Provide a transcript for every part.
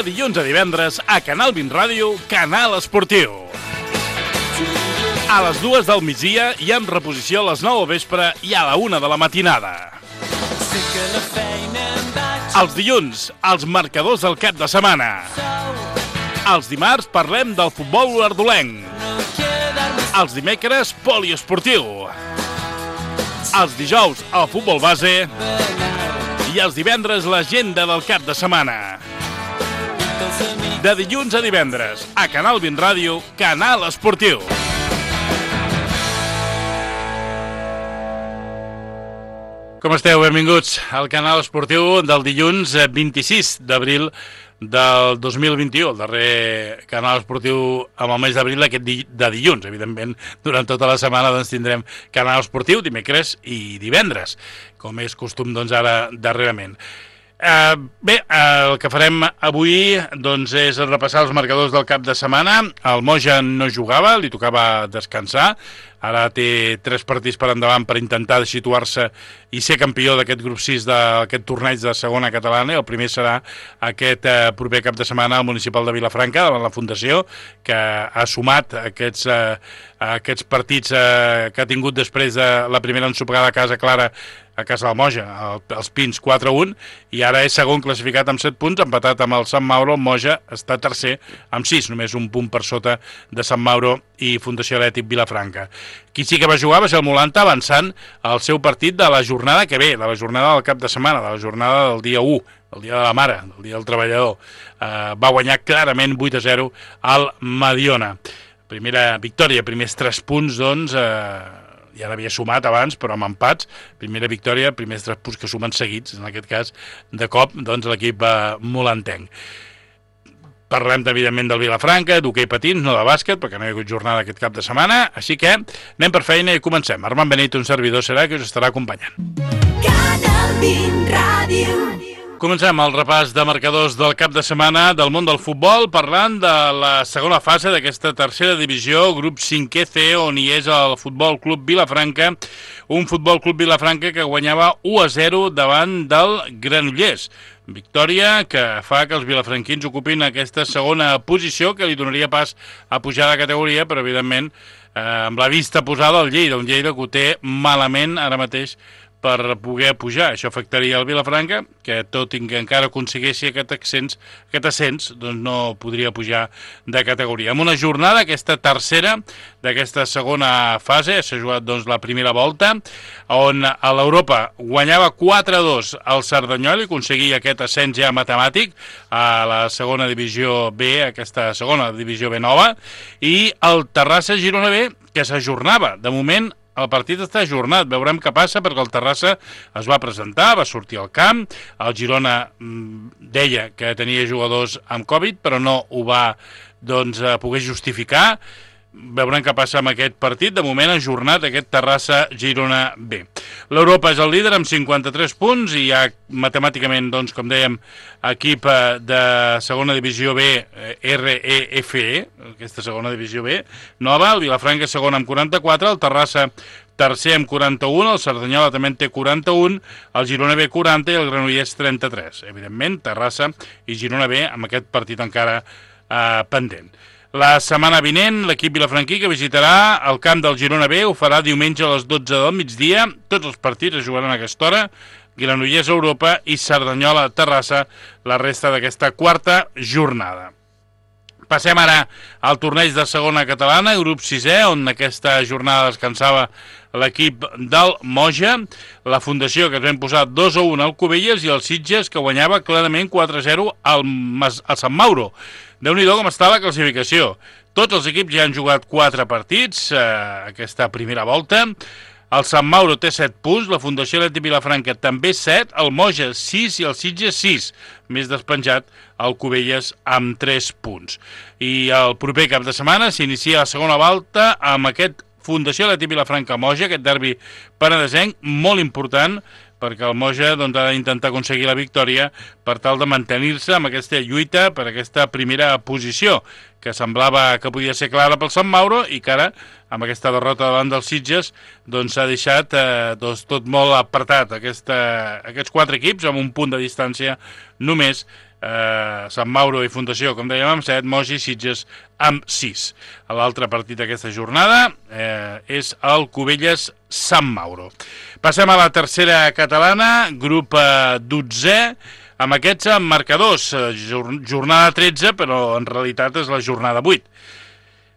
dilluns a divendres a Canal 20 Ràdio, Canal Esportiu. A les 2 del migdia i amb reposició a les 9 del vespre i a la 1 de la matinada. Els dilluns, els marcadors del cap de setmana. Els dimarts parlem del futbol ardolenc. Els dimecres, poliesportiu. Els dijous, el futbol base. I els divendres, l'agenda del cap de setmana. De dilluns a divendres, a Canal 20 Ràdio, Canal Esportiu. Com esteu? Benvinguts al Canal Esportiu del dilluns 26 d'abril del 2021, el darrer Canal Esportiu amb el mes d'abril de dilluns. Evidentment, durant tota la setmana doncs, tindrem Canal Esportiu dimecres i divendres, com és costum doncs, ara darrerament. Bé, el que farem avui doncs, és repassar els marcadors del cap de setmana. El Moja no jugava, li tocava descansar. Ara té 3 partits per endavant per intentar situar-se i ser campió d'aquest grup 6 d'aquest torneig de segona catalana. El primer serà aquest proper cap de setmana al municipal de Vilafranca, davant la Fundació, que ha sumat aquests partits que ha tingut després de la primera ensopegada a casa clara a casa del Moja, els Pins 4-1, i ara és segon classificat amb 7 punts, empatat amb el Sant Mauro. El Moja està tercer amb 6, només un punt per sota de Sant Mauro i Fundació Atlètic Vilafranca. Qui sí que va jugar va ser el Molanta, avançant al seu partit de la jornada que ve, de la jornada del cap de setmana, de la jornada del dia 1, el dia de la mare, el dia del treballador. Va guanyar clarament 8-0 al Mediona. Primera victòria, primers 3 punts, doncs, ja n'havia sumat abans, però amb empats. Primera victòria, primers 3 punts que sumen seguits, en aquest cas, de cop, doncs, l'equip molantenc. Parlem, evidentment, del Vilafranca, d'hoquei patins, no de bàsquet, perquè no hi ha hagut jornada aquest cap de setmana, així que anem per feina i comencem. Armand Benito, un servidor, serà que us estarà acompanyant. Canal 20 Ràdio. Comencem el repàs de marcadors del cap de setmana del món del futbol, parlant de la segona fase d'aquesta tercera divisió, grup 5è C, on hi és el Futbol Club Vilafranca, un Futbol Club Vilafranca que guanyava 1-0 davant del Granollers. Victòria que fa que els vilafranquins ocupin aquesta segona posició, que li donaria pas a pujar de categoria, però evidentment amb la vista posada al Lleida, un Lleida que ho té malament ara mateix per poder pujar. Això afectaria el Vilafranca, que tot i que encara aconsegueixi aquest ascens, doncs no podria pujar de categoria. Amb una jornada, aquesta tercera d'aquesta segona fase, s'ha jugat doncs, la primera volta, on a l'Europa guanyava 4-2 el Cerdanyola i aconseguia aquest ascens ja matemàtic a la segona divisió B, aquesta segona divisió B nova, i el Terrassa Girona B, que s'ajornava. De moment, el partit està ajornat, veurem què passa, perquè el Terrassa es va presentar, va sortir al camp, el Girona deia que tenia jugadors amb Covid, però no ho va poder justificar. Veurem què passa amb aquest partit. De moment ha ajornat aquest Terrassa-Girona B. L'Europa és el líder amb 53 punts i hi ha matemàticament, doncs, com dèiem, equip de segona divisió B, REFE, aquesta segona divisió B nova, el Vilafranca segon amb 44, el Terrassa tercer amb 41, el Cerdanyola també en té 41, el Girona B 40 i el Granollers 33. Evidentment, Terrassa i Girona B amb aquest partit encara pendent. La setmana vinent, l'equip vilafranquí que visitarà el camp del Girona B ho farà diumenge a les 12 del migdia. Tots els partits es jugaran a aquesta hora. Granollers Europa i Cerdanyola Terrassa, la resta d'aquesta quarta jornada. Passem ara al torneig de segona catalana, grup 6è, on aquesta jornada descansava l'equip del Moja, la Fundació, que es va posar 2-1 al Cubelles, i el Sitges, que guanyava clarament 4-0 al Sant Mauro. Déu-n'hi-do com està la classificació. Tots els equips ja han jugat 4 partits aquesta primera volta. El Sant Mauro té 7 punts, la Fundació Atlètic Vilafranca també 7, el Moja 6 i el Sitges 6. Més despenjat el Cubelles amb 3 punts. I el proper cap de setmana s'inicia la segona volta amb aquest Fundació Atlètic Vilafranca Moja, aquest derbi penedesenc molt important, perquè el Moja ha d'intentar aconseguir la victòria per tal de mantenir-se amb aquesta lluita per aquesta primera posició, que semblava que podia ser clara pel Sant Mauro i que ara, amb aquesta derrota davant dels Sitges, s'ha deixat tot molt apartat. Aquests 4 equips, amb un punt de distància només Sant Mauro i Fundació, com dèiem, amb 7, Moix i Sitges amb 6. L'altre partit d'aquesta jornada és el Cubelles-Sant Mauro. Passem a la tercera catalana, grup 12è, amb aquests marcadors. Jornada 13, però en realitat és la jornada 8.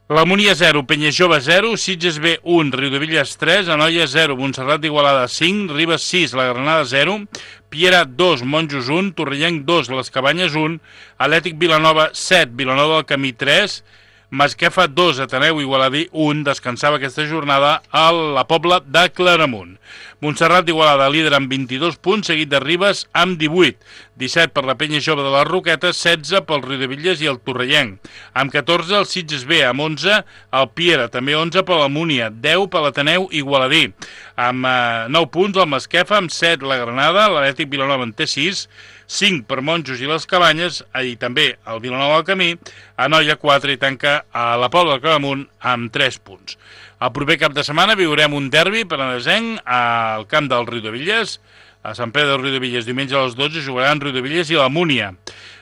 La Múnia 0, Penyajove 0, Sitges B 1, Riudevilles 3, Anoia 0, Montserrat d'Igualada 5, Ribes 6, la Granada 0, Piera 2, Monjos 1, Torrellenc 2, Les Cabanyes 1, Atlètic Vilanova 7, Vilanova del Camí 3, Masquefa 2, Ateneu Igualadí 1, descansava aquesta jornada a la Pobla de Claramunt. Montserrat d'Igualada líder amb 22 punts, seguit de Ribes amb 18, 17 per la Penya Jove de les Roquetes, 16 pel Riudevilles i el Torrellenc, amb 14 el Sitges B, amb 11 el Piera, també 11 per la Múnia, 10 per l'Ateneu Igualadí, amb 9 punts el Masquefa, amb 7 la Granada, l'Atlètic Vilanova en té 6, 5 per Monjos i les Cabanyes, i també el Vilanova del Camí, Anoia 4 i tanca a la Pobla de Claramunt amb 3 punts. El proper cap de setmana viurem un derbi penedesenc al camp del Riudevilles, a Sant Pere del Riudevilles, diumenge a les 12 jugaran Riudevilles i la Múnia.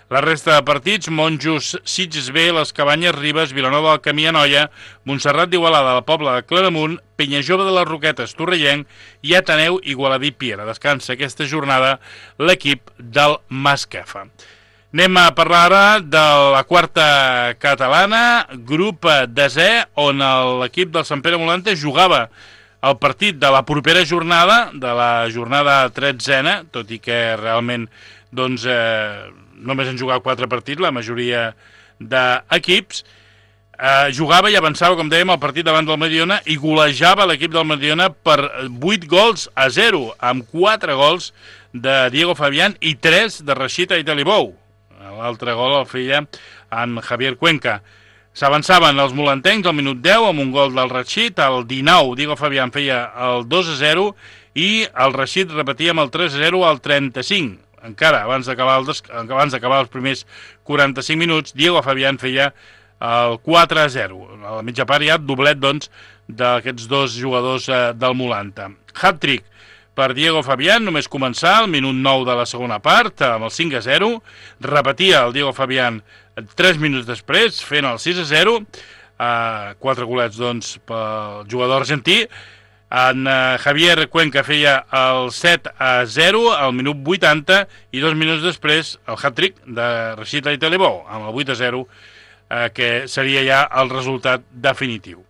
La resta de partits, Monjos, Sitges B, Les Cabanyes, Ribes, Vilanova del Camí, Anoia, Montserrat d'Igualada, la Pobla de Claramunt, Penyajove de les Roquetes, Torrellenc i Ateneu Igualadí Piera. Descansa aquesta jornada l'equip del Masquefa. Anem a parlar ara de la quarta catalana, grup 10è, on l'equip del Sant Pere Molante jugava el partit de la propera jornada, de la jornada 13a, tot i que realment doncs, només han jugat 4 partits, la majoria d'equips. Jugava i avançava, com dèiem, el partit davant del Mediona i golejava l'equip del Mediona per 8-0, amb 4 gols de Diego Fabián i 3 de Rashid Aitalibou. L'altre gol el feia en Javier Cuenca. S'avançaven els molantencs al minut 10 amb un gol del Rashid, al 19 Diego Fabián feia el 2-0 i el Rashid repetia amb el 3-0 al 35. Encara abans d'acabar els primers 45 minuts, Diego Fabián feia el 4-0. A la mitja part hi ha doblet doncs, d'aquests dos jugadors del Molanta. Hat-trick per Diego Fabián, només començar al minut 9 de la segona part, amb el 5-0, repetia el Diego Fabián 3 minuts després, fent el 6-0, 4 golets doncs, pel jugador argentí. En Javier Cuenca feia el 7-0 al minut 80 i 2 minuts després el hat-trick de Rashid Aitalibou, amb el 8-0, que seria ja el resultat definitiu.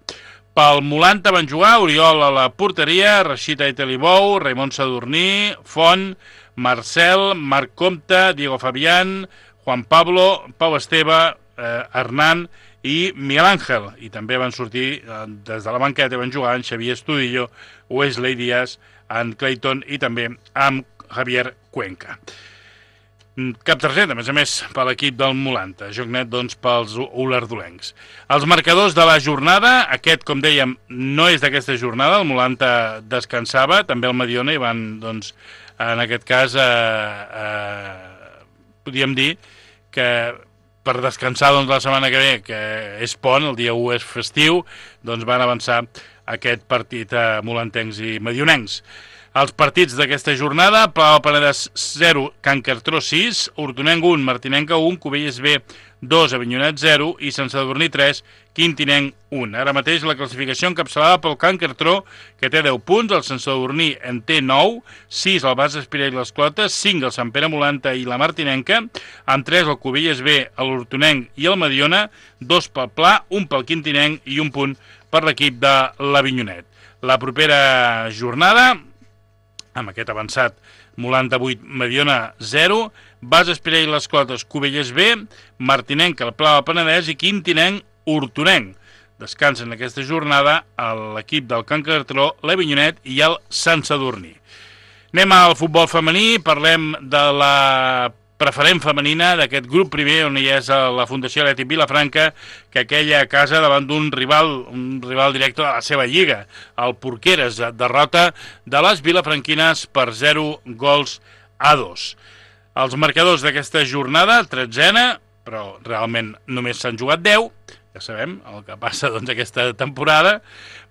Pel Molanta van jugar Oriol a la porteria, Rashid Aitalibou, Raimon Sadurní, Font, Marcel, Marc Comte, Diego Fabián, Juan Pablo, Pau Esteve, Hernán i Miguel Ángel. I també van sortir des de la banqueta, van jugar en Xavier Estudillo, Wesley Díaz, en Clayton i també amb Javier Cuenca. Cap targeta, a més, per l'equip del Molanta. Joc net, doncs, pels olardolencs. Els marcadors de la jornada, aquest, com dèiem, no és d'aquesta jornada, el Molanta descansava, també el Mediona, i van, doncs, en aquest cas, podríem dir que per descansar doncs, la setmana que ve, que és pont, el dia 1 és festiu, doncs van avançar aquest partit molantencs i medionencs. Els partits d'aquesta jornada, Palau Penedès 0, Can Cartró 6, Hortonenc 1, Martinenca 1, Cubelles B 2, Avinyonet 0 i Sant Sadurní 3, Quintinenc 1. Ara mateix la classificació encapçalada pel Can Cartró, que té 10 punts, el Sant Sadurní en té 9, 6 el Bas Espirà i les Clotes, 5 el Sant Pere Molanta i la Martinenca, amb 3 el Cubelles B, l'Hortonenc i el Mediona, 2 pel Pla, 1 pel Quintinenc i 1 punt per l'equip de l'Avinyonet. La propera jornada, amb aquest avançat, Molanta 8, Mediona 0, Bas Espirà i les Clotes, Cubelles B, Martinenc, el Pla del Penedès i Quintinenc, Hortonenc. Descansen aquesta jornada l'equip del Can Cartró, l'Avinyonet i el Sant Sadurní. Anem al futbol femení, parlem de la preferent femenina d'aquest grup primer on hi és la Fundació Atlètic Vilafranca, que aquella casa davant d'un rival directe de la seva lliga, el Porqueres, derrota de les vilafranquines per 0-2. Els marcadors d'aquesta jornada, 13a, però realment només s'han jugat 10, ja sabem el que passa aquesta temporada.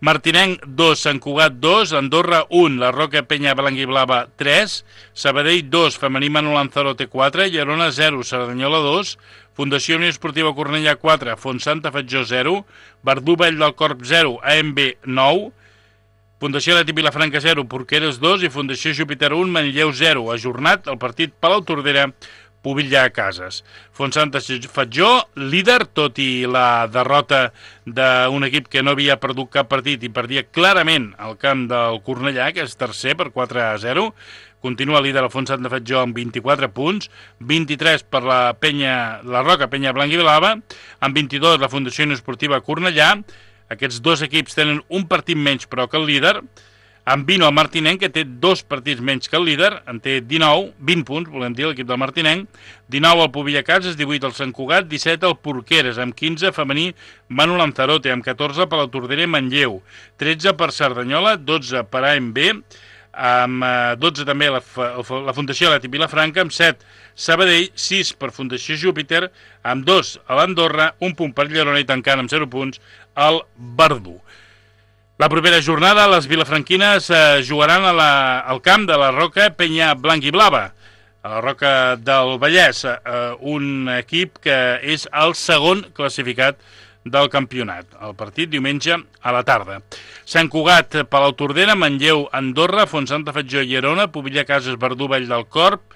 Martinenc 2, Sant Cugat 2, Andorra 1, la Roca Penya Blanquiblava 3, Sabadell 2, Femení Manu Lanzarote 4, Llerona 0, Cerdanyola 2, Fundació Unió Esportiva Cornellà 4, Fontsanta Fatjó 0, Verdú Vall del Corp 0, AMB 9, Fundació Leti Vilafranca 0, Porqueres 2 i Fundació Júpiter 1, Manlleu 0. Ajornat el partit Palau-Tordera, Pobilla Cases. Fontsanta Fatjó, líder, tot i la derrota d'un equip que no havia perdut cap partit i perdia clarament al camp del Cornellà, que és tercer per 4-0. Continua líder el Fontsanta Fatjó amb 24 punts, 23 per la Roca Penya Blanquiblava, amb 22 la Fundació Unió Esportiva Cornellà. Aquests dos equips tenen un partit menys però que el líder. Amb 20 el Martinenc, que té 2 partits menys que el líder, en té 20 punts, volem dir, l'equip del Martinenc, 19 el Pobilla Cases, 18 el Sant Cugat, 17 el Porqueres, amb 15 femení Manu Lanzarote, amb 14 per la Tordera i Manlleu, 13 per Cerdanyola, 12 per AMB, amb 12 també la Fundació Leti Vilafranca, amb 7 Sabadell, 6 per Fundació Júpiter, amb 2 a l'Andorra, 1 punt per Llerona i tancant amb 0 punts el Verdú. La propera jornada, les vilafranquines jugaran al camp de la Roca Penya Blanquiblava, a la Roca del Vallès, un equip que és el segon classificat del campionat. El partit diumenge a la tarda. Sant Cugat, Palau-Tordera, Manlleu, Andorra, Fontsanta Fatjó, Llerona, Pobilla Cases, Verdú, Vall del Corp,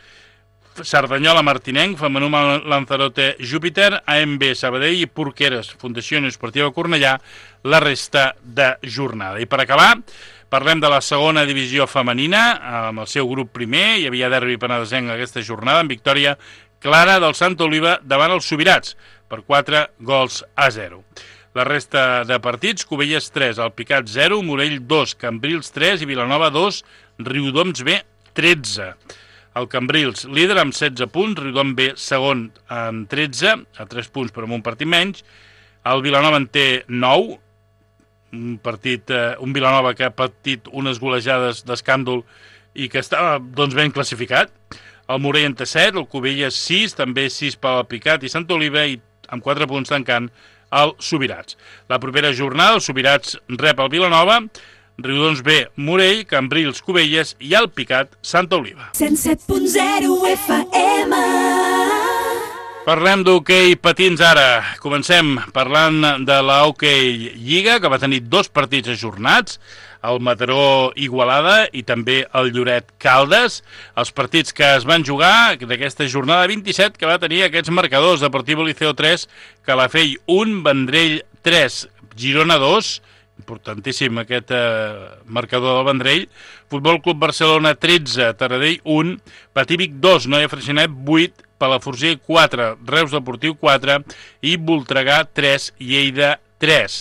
Cerdanyola, Martinenc, Femení Lanzarote, Júpiter, AMB, Sabadell i Porqueres, Fundació Unió Esportiva Cornellà, la resta de jornada. I per acabar, parlem de la segona divisió femenina, amb el seu grup primer. Hi havia derbi penedesenc aquesta jornada, amb victòria clara del Santa Oliva davant els Subirats, per 4-0. La resta de partits, Cubelles 3, Alpicat 0, Morell 2, Cambrils 3 i Vilanova 2, Riudoms B 13. El Cambrils, líder amb 16 punts, Riudom B, segon amb 13, a 3 punts però amb un partit menys. El Vilanova en té 9, un Vilanova que ha patit unes golejades d'escàndol i que estava ben classificat. El Morell en té 7, el Cubelles 6, també 6 per l'Alpicat i Santa Oliva, i amb 4 punts tancant el Subirats. La propera jornada, el Subirats rep el Vilanova, Riudoms B, Morell, Cambrils, Cubelles i Alpicat, Santa Oliva. 107.0 FM. Parlem d'hoquei patins ara. Comencem parlant de la Hoquei Lliga, que va tenir 2 partits ajornats, el Mataró Igualada i també el Lloret Caldes. Els partits que es van jugar d'aquesta jornada 27, que va tenir aquests marcadors: Deportivo Liceo 3, Calafell 1, Vendrell 3, Girona 2, importantíssim aquest marcador del Vendrell, Futbol Club Barcelona 13, Taradell 1, Patívic 2, Noia Freixenet 8, Palafrugell 4, Reus Deportiu 4 i Voltregà 3, Lleida 3.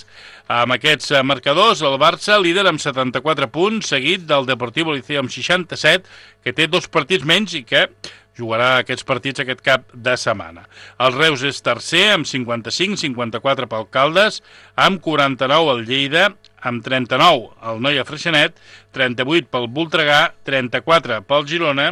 Amb aquests marcadors, el Barça líder amb 74 punts, seguit del Deportivo Liceo amb 67, que té 2 partits menys i que jugarà aquests partits aquest cap de setmana. El Reus és tercer amb 55, 54 pel Caldes, amb 49 el Lleida, amb 39 el Noia Freixenet, 38 pel Voltregà, 34 pel Girona.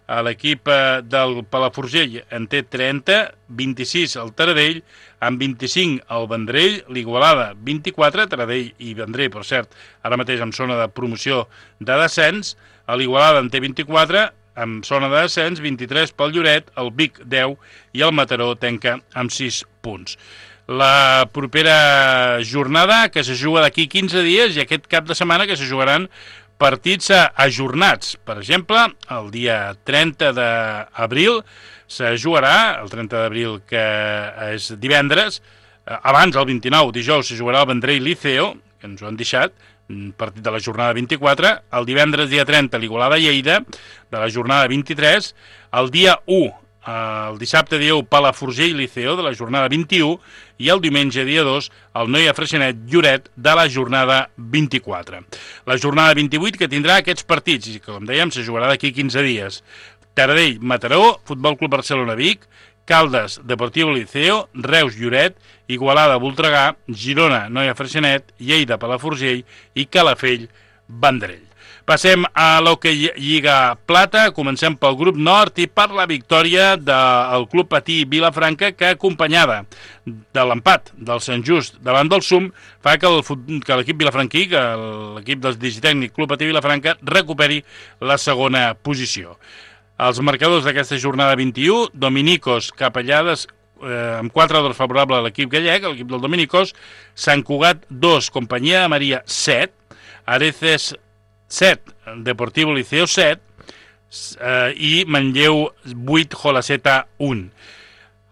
L'equip del Palafrugell en té 30, 26 el Taradell, amb 25 el Vendrell, l'Igualada 24, Taradell i Vendrell, per cert, ara mateix en zona de promoció de descens, l'Igualada en té 24, amb zona de descens, 23 pel Lloret, el Vic 10 i el Mataró tanca amb 6 punts. La propera jornada, que se juga d'aquí 15 dies, i aquest cap de setmana que se jugaran partits ajornats. Per exemple, el dia 30 d'abril se jugarà, el 30 d'abril que és divendres, abans el 29, dijous, se jugarà el Vendrell Liceo, que ens ho han deixat, partit de la jornada 24, el divendres dia 30 l'Igualada Lleida, de la jornada 23, el dia 1, el dissabte dia 1 Palafrugell Liceo, de la jornada 21, i el diumenge dia 2 el Noia Freixenet Lloret, de la jornada 24. La jornada 28 que tindrà aquests partits, i com dèiem se jugarà d'aquí 15 dies: Taradell Mataró, Futbol Club Barcelona Vic, Caldes Deportivo Liceo, Reus Lloret, Igualada Voltregà, Girona Noia Freixenet, Lleida Palafrugell i Calafell Vendrell. Passem a l'Hockey Lliga Plata, comencem pel grup nord i per la victòria del Club Patí Vilafranca, que acompanyada de l'empat del Sant Just davant del SUM fa que l'equip vilafranquí, que l'equip del digitècnic Club Patí Vilafranca recuperi la segona posició. Els marcadors d'aquesta jornada 21, Dominicos Capellades amb 4-2 favorable a l'equip gallec, l'equip del Dominicos, Sant Cugat 2, Companyia de Maria 7, Areces 7, Deportivo Liceo 7 i Manlleu 8, Jolaseta 1.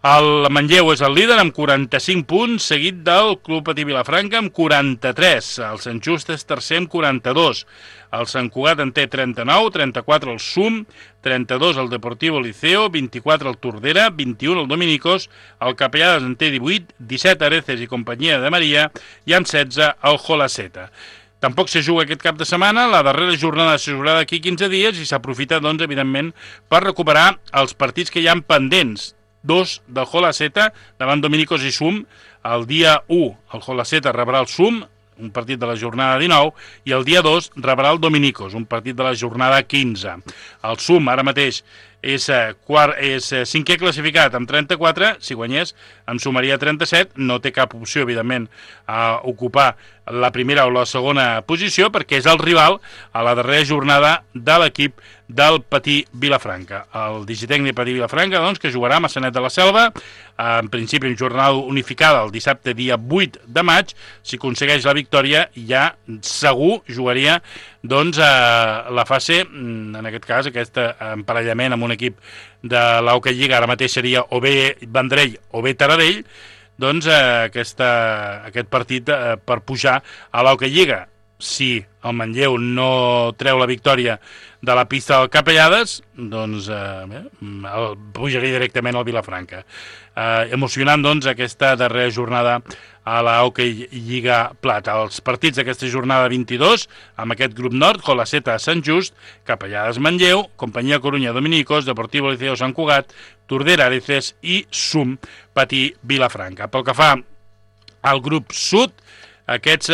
El Manlleu és el líder amb 45 punts, seguit del Club Patí Vilafranca amb 43. El Sant Just és tercer amb 42. El Sant Cugat en té 39, 34 el SUM, 32 el Deportivo Liceo, 24 el Tordera, 21 el Dominicos, el Capellades en té 18, 17 Areces i Companyia de Maria i amb 16 el Jolaseta. Tampoc se juga aquest cap de setmana, la darrera jornada se jugarà d'aquí 15 dies i s'aprofita, doncs, evidentment, per recuperar els partits que hi ha pendents. 2 del Jolaseta davant Dominicos i SUM. El dia 1 el Jolaseta rebrà el SUM, un partit de la jornada 19, i el dia 2 rebrà el Dominicos, un partit de la jornada 15. El SUM ara mateix és cinquè classificat amb 34, si guanyés en sumaria 37, no té cap opció, evidentment, a ocupar la primera o la segona posició, perquè és el rival a la darrera jornada de l'equip del Patí Vilafranca. El digitècnic Patí Vilafranca, doncs, que jugarà a Maçanet de la Selva, en principi en jornada unificada el dissabte dia 8 de maig. Si aconsegueix la victòria, ja segur jugaria, doncs, la fase, en aquest cas, aquest emparellament amb un equip de l'Hockey Lliga, ara mateix seria o bé Vendrell o bé Taradell, doncs aquest partit per pujar a l'Hockey Lliga. Si el Manlleu no treu la victòria de la pista del Capellades, doncs pujaria directament al Vilafranca. Emocionant, doncs, aquesta darrera jornada a la Hockey Lliga Plata. Els partits d'aquesta jornada 22, amb aquest grup nord, Jolaseta Sant Just, Capellades Manlleu, Companyia Corunya Dominicos, Deportivo Liceo Sant Cugat, Tordera Areces i SUM Patí Vilafranca. Pel que fa al grup sud, aquests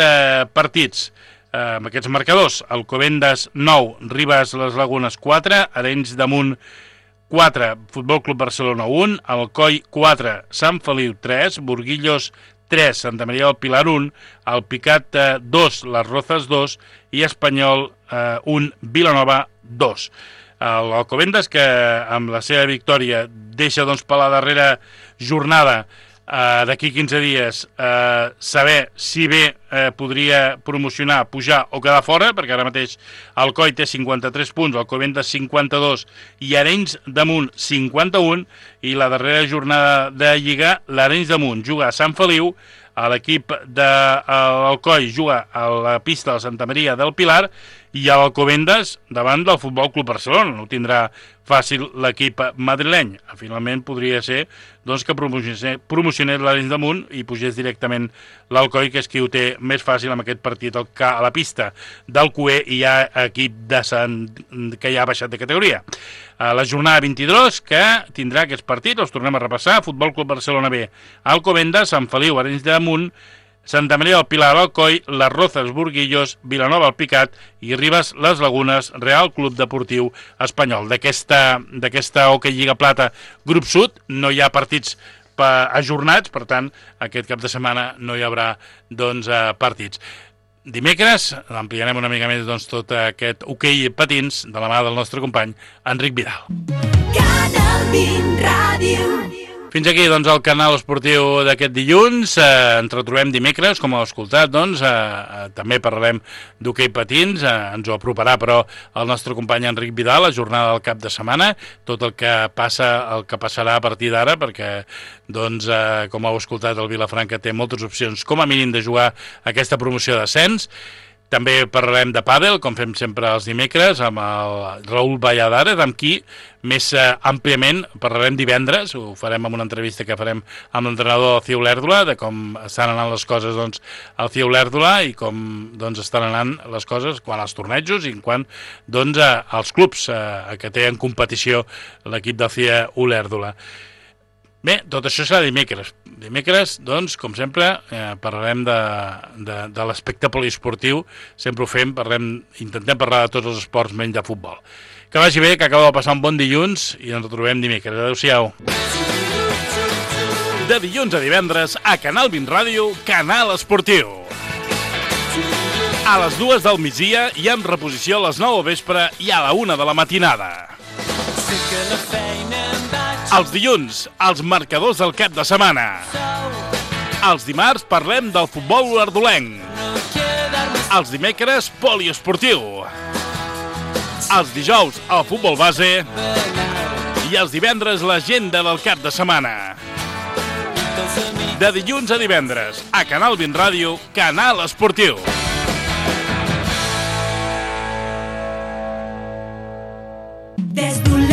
partits, amb aquests marcadors: Alcobendas 9, Ribes les Lagunes 4, Arenys de Munt 4, Futbol Club Barcelona 1, Alcoi 4, Sant Feliu 3, Burguillos 3, Santa Maria del Pilar 1, Alpicat 2, Les Rozas 2 i Espanyol 1, Vilanova 2. L'Alcobendas, que amb la seva victòria deixa, doncs, per la darrera jornada d'aquí 15 dies saber si bé podria promocionar, pujar o quedar fora, perquè ara mateix Alcoi té 53 punts, Alcobendas 52 i Arenys de Munt 51, i la darrera jornada de Lliga, l'Arenys de Munt juga a Sant Feliu, a l'equip de l'Alcoi juga a la pista de Santa Maria del Pilar, i a l'Alcobendas davant del Futbol Club Barcelona. No tindrà fàcil l'equip madrileny. Finalment podria ser, doncs, que promocionés l'Arenys de Munt i pugés directament l'Alcoi, que és qui ho té més fàcil amb aquest partit a la pista del QE, i hi ha equip que ja ha baixat de categoria. La jornada 22, que tindrà aquests partits, els tornem a repassar: Futbol Club Barcelona B, Alcobendas, Sant Feliu, Arenys de Munt, Santa Maria del Pilar, Alcoi, Les Rozas, Burguillos, Vilanova, Alpicat i Ribes, Les Lagunes, Real Club Deportiu Espanyol. D'aquesta Hockey Lliga Plata grup sud no hi ha partits ajornats, per tant, aquest cap de setmana no hi haurà, doncs, partits. Dimecres ampliarem una mica més, doncs, tot aquest hoquei patins de la mà del nostre company Enric Vidal. Canal 20 Ràdio. Fins aquí, doncs, el canal esportiu d'aquest dilluns. Ens retrobem dimecres, com heu escoltat, doncs, també parlarem d'hoquei patins, ens ho aproparà, però, el nostre company Enric Vidal, la jornada del cap de setmana, tot el que passarà a partir d'ara, perquè, doncs, com heu escoltat, el Vilafranca té moltes opcions, com a mínim, de jugar aquesta promoció d'ascens. També parlarem de pàdel, com fem sempre els dimecres, amb el Raül Valladares, amb qui més àmpliament parlarem divendres. Ho farem amb una entrevista que farem amb l'entrenador del CIE Olèrdola, de com estan anant les coses, doncs, al CIE Olèrdola, i com, doncs, estan anant les coses quan als tornejos i quan, doncs, als clubs que té en competició l'equip del CIE Olèrdola. Bé, tot això serà dimecres. Dimecres, doncs, com sempre, parlarem de l'aspecte poliesportiu. Sempre ho fem, intentem parlar de tots els esports menys de futbol. Que vagi bé, que acabeu de passar un bon dilluns i ens retrobem dimecres. Adéu-siau. De dilluns a divendres, a Canal 20 Ràdio, Canal Esportiu. A les 2 del migdia i amb reposició a les 9 del vespre i a la 1 de la matinada. Els dilluns, els marcadors del cap de setmana. Els dimarts parlem del futbol ardolenc. Els dimecres, poliesportiu. Els dijous, el futbol base. I els divendres, l'agenda del cap de setmana. De dilluns a divendres, a Canal 20 Ràdio, Canal Esportiu. Des d'un